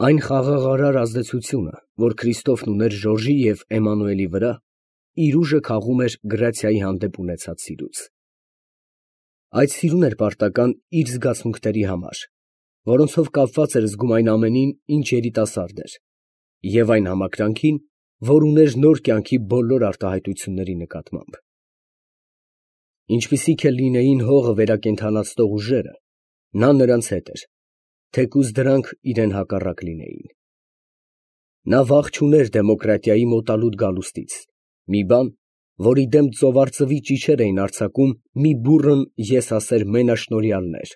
Այն խաղաղարար ազդեցությունը, որ Քրիստոֆն ուներ Ժորժի և Էմանուելի վրա, իր ուժը քաղում էր Գրացիայի հանդեպ ունեցած սիրուց։ Այդ սիրուն էր պարտական իր զգացմունքների համար, որոնցով կապված էր զգում այն ամենին, ինչ երիտասարդ էր, և այն համակրանքին, որ ուներ նոր կյանքի բոլոր արտահայտությունների նկատմամբ։ Ինչպիսիք էլ լինեին հողը վերակենդանացնող ուժերը, նա նրանց հետ էր, թեկուզ դրանք իրեն հակառակ լինեին։ Նա վախ չուներ դեմոկրատիայի մոտալուտ գալուստից, մի բան, որի դեմ ծովարծվի ճիչեր էին արձակում մի բուռն եսասեր մենաշնորհյալներ։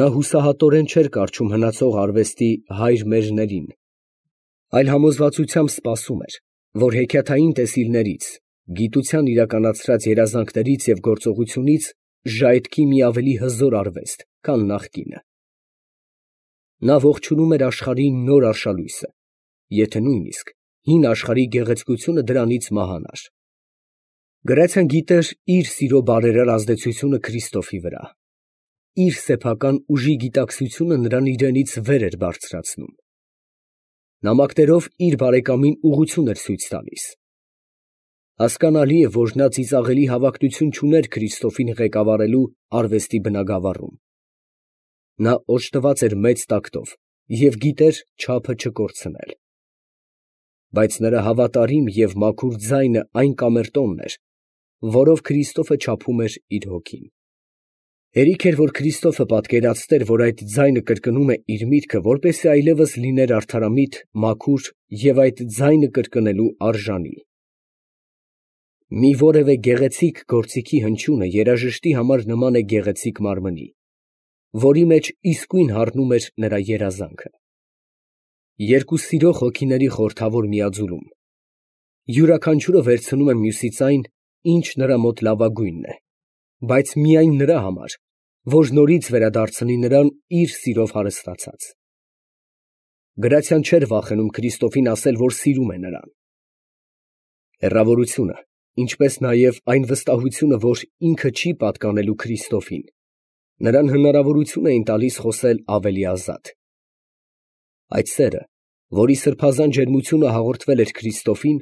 Նա հուսահատորեն չէր կառչում հնացող արվեստի հայր մերներին, այլ համոզվածությամբ սպասում էր, որ հեքիաթային տեսիլներից, գիտության իրականացրած երազանքներից և գործողությունից ժայթքի մի ավելի հզոր արվեստ, քան նախկինը։ Նա ողջունում էր աշխարհի նոր արշալույսը, եթե նույնիսկ հին աշխարհի գեղեցկությունը դրանից մահանար։ Գրացիան գիտեր իր սիրո բարերար ազդեցությունը Քրիստոֆի վրա, իր սեփական ուժի գիտակցությունը նրան իրենից վեր էր բարձրացնում։ Նամակներով իր բարեկամին ուղղություն էր ցույց տալիս։ Հասկանալի է, որ նա ծիծաղելի հավակնություն չուներ Քրիստոֆին ղեկավարելու արվեստի բնագավառում։ Նա օժտված էր մեծ տակտով և գիտեր չափը չկորցնել։ Բայց նրա հավատարիմ և մաքուր ձայնը այն կամերտոնն էր, որով Քրիստոֆը չափում էր իր հոգին։ Հերիք էր, որ Քրիստոֆը պատկերացներ, որ այդ ձայնը կրկնում է իր միտքը, որպեսզի այլևս լիներ արդարամիտ, մաքուր և այդ ձայնը կրկնելու արժանի։ Մի որևէ գեղեցիկ գործիքի հնչյունը երաժշտի համար նման է գեղեցիկ մարմնի, որի մեջ իսկույն հառնում էր նրա երազանքը։ Երկու սիրող հոգիների խորհրդավոր միաձուլում։ Յուրաքանչյուրը վերցնում է մյուսից այն, ինչ նրա մոտ լավագույնն է, բայց միայն նրա համար, որ նորից վերադարձնի նրան իր սիրով հարստացած։ Գրացիան չէր վախենում Քրիստոֆին ասել, որ սիրում է նրան։ Հեռավորությունը, ինչպես նաև այն վստահությունը, որ ինքը չի պատկանելու Քրիստոֆին, նրան հնարավորություն էին տալիս խոսել ավելի ազատ։ Այդ սերը, որի սրբազան ջերմությունը հաղորդվել էր Քրիստոֆին,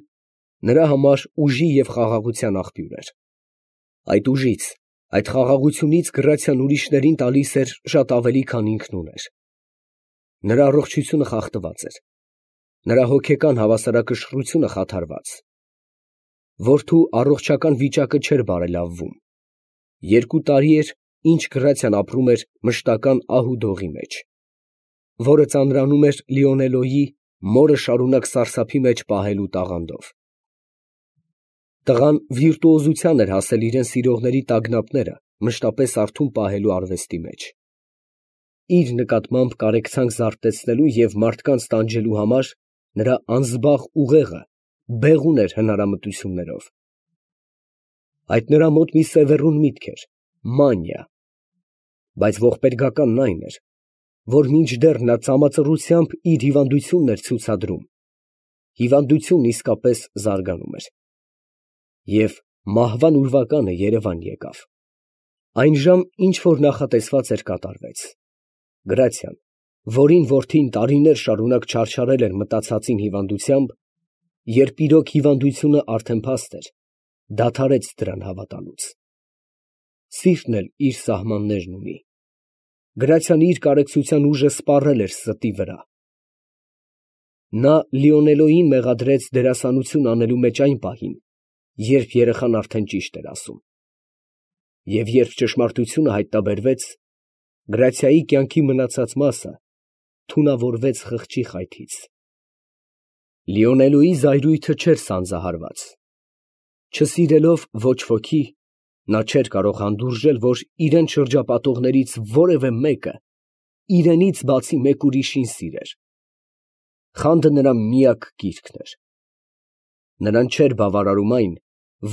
նրա համար ուժի և խաղաղության աղբյուր էր։ Այդ ուժից, այդ խաղաղությունից Գրացիան ուրիշներին տալիս էր շատ ավելի, քան ինքն ուներ։ Նրա առողջությունը խախտված էր, նրա հոգեկան հավասարակշռությունը խաթարված։ Որդու առողջական վիճակը չէր բարելավվում։ 2 տարի էր, ինչ Գրացիան ապրում էր մշտական ահ ու դողի մեջ, որը ծանրանում էր Լիոնելոյի մորը շարունակ սարսափի մեջ պահելու տաղանդով։ Տղան վիրտուոզության էր հասել իրեն սիրողների տագնապները մշտապես արթուն պահելու արվեստի մեջ։ Իր նկատմամբ կարեկցանք զարթեցնելու և մարդկանց տանջելու համար նրա անզբաղ ուղեղը բեղուն էր հնարամտություններով։ Այդ նրա մոտ մի սևեռուն միտք էր՝ մանիա։ Բայց ողբերգականն այն էր, որ մինչդեռ նա ծամածռությամբ իր հիվանդությունն էր ցուցադրում, հիվանդությունն իսկապես զարգանում էր։ Եվ մահվան ուրվականը երևան եկավ։ Այն ժամ, ինչ որ նախատեսված էր, կատարվեց։ Գրացիան, որին որդին տարիներ շարունակ չարչարել էր մտածածին հիվանդությամբ, երբ իրոք հիվանդությունը արդեն փաստ էր, դադարեց դրան հավատալուց։ Սիրտն էլ իր սահմաններն ունի։ Գրացիան իր կարեկցության ուժը սպառել էր ստի վրա։ Նա Լիոնելոյին մեղադրեց դերասանություն անելու մեջ այն պահին, երբ երեխան արդեն ճիշտ էր ասում։ Եվ երբ ճշմարտությունը հայտնաբերվեց, Գրացիայի կյանքի մնացած մասը թունավորվեց խղճի խայթից։ Լիոնելոյի զայրույթը չէր սանձահարված։ Չսիրելով ոչ ոքի, նա չէր կարող հանդուրժել, որ իրեն շրջապատողներից որևէ մեկը իրենից բացի մեկ ուրիշին սիրեր։ Խանդը նրա միակ կիրքն էր։ Նրան չէր բավարարում այն,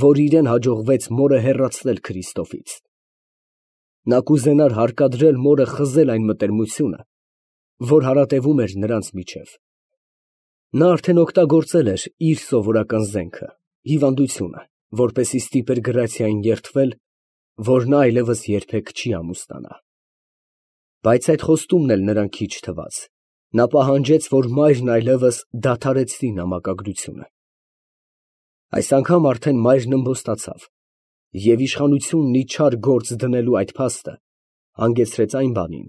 որ իրեն հաջողվեց մորը հեռացնել Քրիստոֆից։ Նա կուզենար հարկադրել մորը խզել այն մտերմությունը, որ հարատևում էր նրանց միջև։ Նա արդեն օգտագործել էր իր սովորական զենքը, հիվանդությունը, որպեսզի ստիպեր Գրացիային երդվել, որ նա այլևս երբեք չի ամուսնանա։ Բայց այդ խոստումն էլ նրան քիչ թվաց, Նա պահանջեց, որ մայրն այլևս դադարեցնի նամակագրությունը։ Այս անգամ արդեն մայրն ըմբոստացավ, և իշխանությունն ի չար գործ դնելու այդ փաստը հանգեցրեց այն բանին,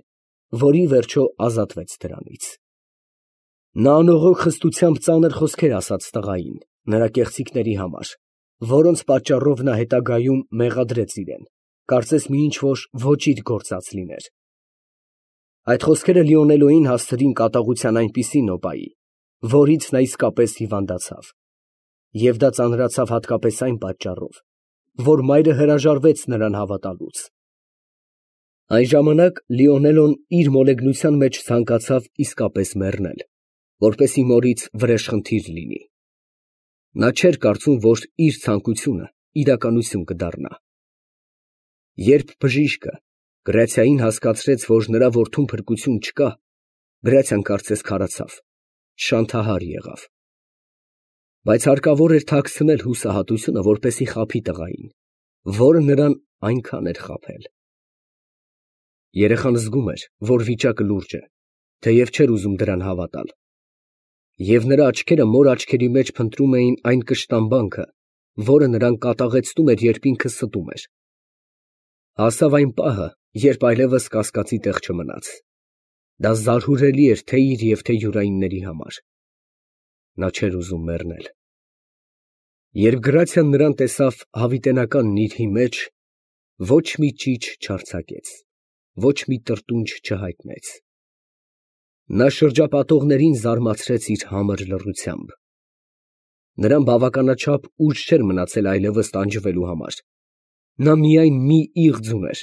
որ ի վերջո ազատվեց դրանից։ Նա անողոք խստությամբ ծանր խոսքեր ասաց տղային, նրա կեղծիքների համար, որոնց պատճառով նա հետագայում մեղադրեց իրեն, կարծես մի ինչ֊որ ոճիր գործած լիներ։ Այդ խոսքերը Լիոնելոյին հասցրին կատաղության այնպիսի նոպայի, որից նա իսկապես հիվանդացավ, և դա ծանրացավ հատկապես այն պատճառով, որ մայրը հրաժարվեց նրան հավատալուց։ Այն ժամանակ Լիոնելոն իր մոլեգնության մեջ ցանկացավ իսկապես մեռնել, որպեսզի մորից վրեժխնդիր լինի։ Նա չէր կարծում, որ իր ցանկությունը իրականություն կդառնա։ Երբ բժիշկը Գրացիային հասկացրեց, որ նրա որդուն փրկություն չկա, Գրացիան կարծես քարացավ, շանթահար եղավ։ Բայց հարկավոր էր թաքցնել հուսահատությունը, որպեսզի խաբի տղային, որը նրան այնքան էր խաբել։ Երեխան զգում էր, որ վիճակը լուրջ է, թեև չէր ուզում դրան հավատալ։ Եվ նրա աչքերը մոր աչքերի մեջ փնտրում էին այն կշտամբանքը, որը նրան կատաղեցնում էր, երբ ինքը ստում էր։ Հասավ այն պահը, երբ այլևս կասկածի տեղ չմնաց։ Դա զարհուրելի էր թե իր և թե յուրայինների համար։ Նա չէր ուզում մեռնել։ Երբ Գրացիան նրան տեսավ հավիտենական նիրհի մեջ, ոչ մի ճիչ չարձակեց, ոչ մի տրտունջ չհայտնեց։ Նա շրջապատողներին զարմացրեց իր համր լռությամբ։ Նրան բավականաչափ ուժ չէր մնացել այլևս տանջվելու համար։ Նա միայն մի իղձ ուներ,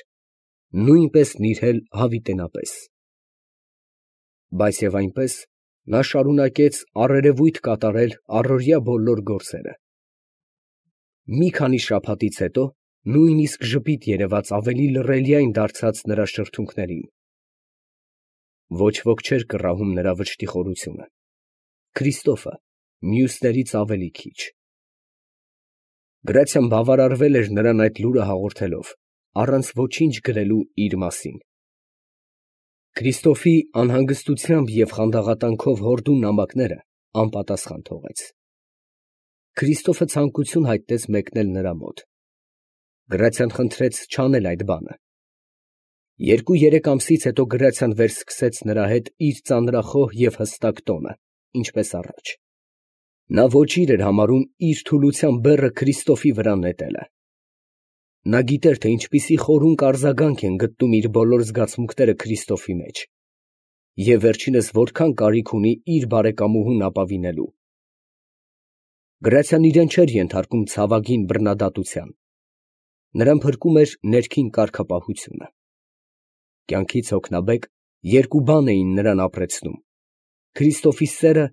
նույնպես նիրհել հավիտենապես։ Բայց և այնպես նա շարունակեց առերևույթ կատարել առօրյա բոլոր գործերը։ Մի քանի շաբաթից հետո նույնիսկ ժպիտ երևաց ավելի լռելիայն դարձած նրա շրթունքներին։ Ոչ ոք չէր կռահում նրա վշտի խորությունը, Քրիստոֆը մյուսներից ավելի քիչ։ Գրացիան բավարարվել էր նրան այդ լուրը հաղորդելով, առանց ոչինչ գրելու իր մասին։ Քրիստոֆի անհանգստությամբ և խանդաղատանքով հորդուն նամակները անպատասխան թողեց։ Քրիստոֆը ցանկություն հայտնեց մեկնել նրա մոտ։ Գրացիան խնդրեց չանել այդ բանը։ 2-3 ամսից հետո Գրացիան վերսկսեց նրա հետ իր ծանրախոհ և հստակ տոնը, ինչպես առաջ։ Նա ոճիր էր համարում իր թուլության բեռը Քրիստոֆի վրա նետելը։ Նա գիտեր, թե ինչպիսի խորհուն արձագանք են գտնում իր բոլոր զգացմունքները Քրիստոֆի մեջ, և վերջինս որքան կարիք ունի իր բարեկամուհուն ապավինելու։ Գրացիան իրեն չէր ենթարկում ցավագին բռնադատության։ Նրան փրկում էր ներքին կարգապահությունը։ Կյանքից հոգնաբեկ երկու բան էին նրան ապրեցնում. Քրիստոֆի սերը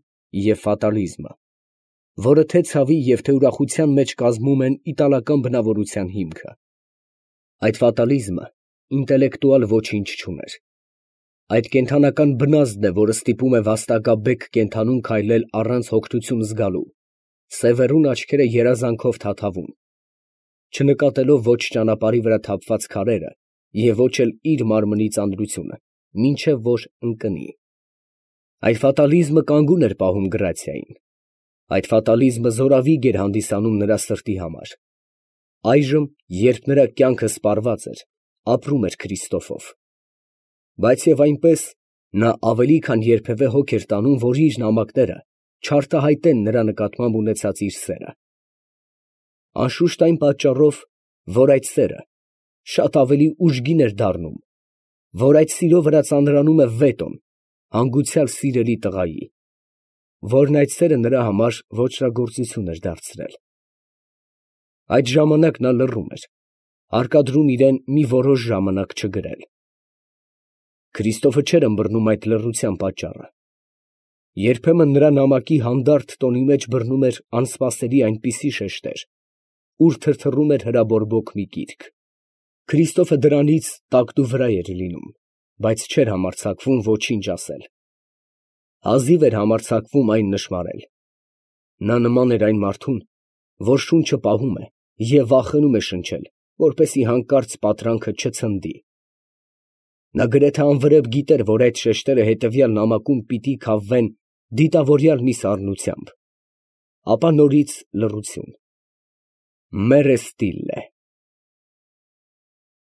և ֆատալիզմը, որը թե ցավի և թե ուրախության մեջ կազմում են իտալական բնավորության հիմքը։ Այդ ֆատալիզմը ինտելեկտուալ ոչինչ չուներ։ Այդ կենդանական բնազդն է, որը ստիպում է վաստակաբեկ կենդանուն քայլել առանց հոգնություն զգալու, սևեռուն աչքերը երազանքով թաթավուն, չնկատելով ոչ ճանապարհի վրա թափված քարերը և ոչ էլ իր մարմնի ծանրությունը, մինչև որ ընկնի։ Այդ ֆատալիզմը կանգուն էր պահում Գրացիային։ Այդ ֆատալիզմը զորավիգ էր հանդիսանում նրա սրտի համար։ Այժմ, երբ նրա կյանքը սպառված էր, ապրում էր Քրիստոֆով։ Բայց և այնպես նա ավելի քան երբևէ հոգ էր տանում, որ իր նամակները չարտահայտեն նրա նկատմամբ ունեցած իր սերը։ Անշուշտ այն պատճառով, որ այդ սերը շատ ավելի ուժգին էր դառնում, որ այդ սիրո վրա ծանրանում է վետոն հանգուցյալ սիրելի տղայի, որն այդ սերը նրա համար ոճրագործություն էր դարձրել։ Այդ ժամանակ նա լռում էր, հարկադրում իրեն մի որոշ ժամանակ չգրել։ Քրիստոֆը չէր ըմբռնում այդ լռության պատճառը։ Երբեմն նրա նամակի հանդարտ տոնի մեջ բռնում էր անսպասելի այնպիսի շեշտեր, ուր թրթռում էր հրաբորբոք մի գիրք։ Քրիստոֆը դրանից տակտուվրա էր լինում, բայց չէր համարձակվում ոչինչ ասել։ Հազիվ էր համարձակվում այն նշմարել։ Նա նման էր այն մարդուն, որ շունչը պահում է և վախենում է շնչել, որպեսզի հանկարծ պատրանքը չցնդի։ Նա գրեթե անվրեպ գիտեր, որ այդ շեշտերը հետևյալ նամակում պիտի քավվեն դիտավորյալ մի սառնությամբ, ապա նորից լռություն։ «Մերը ստիլլե»։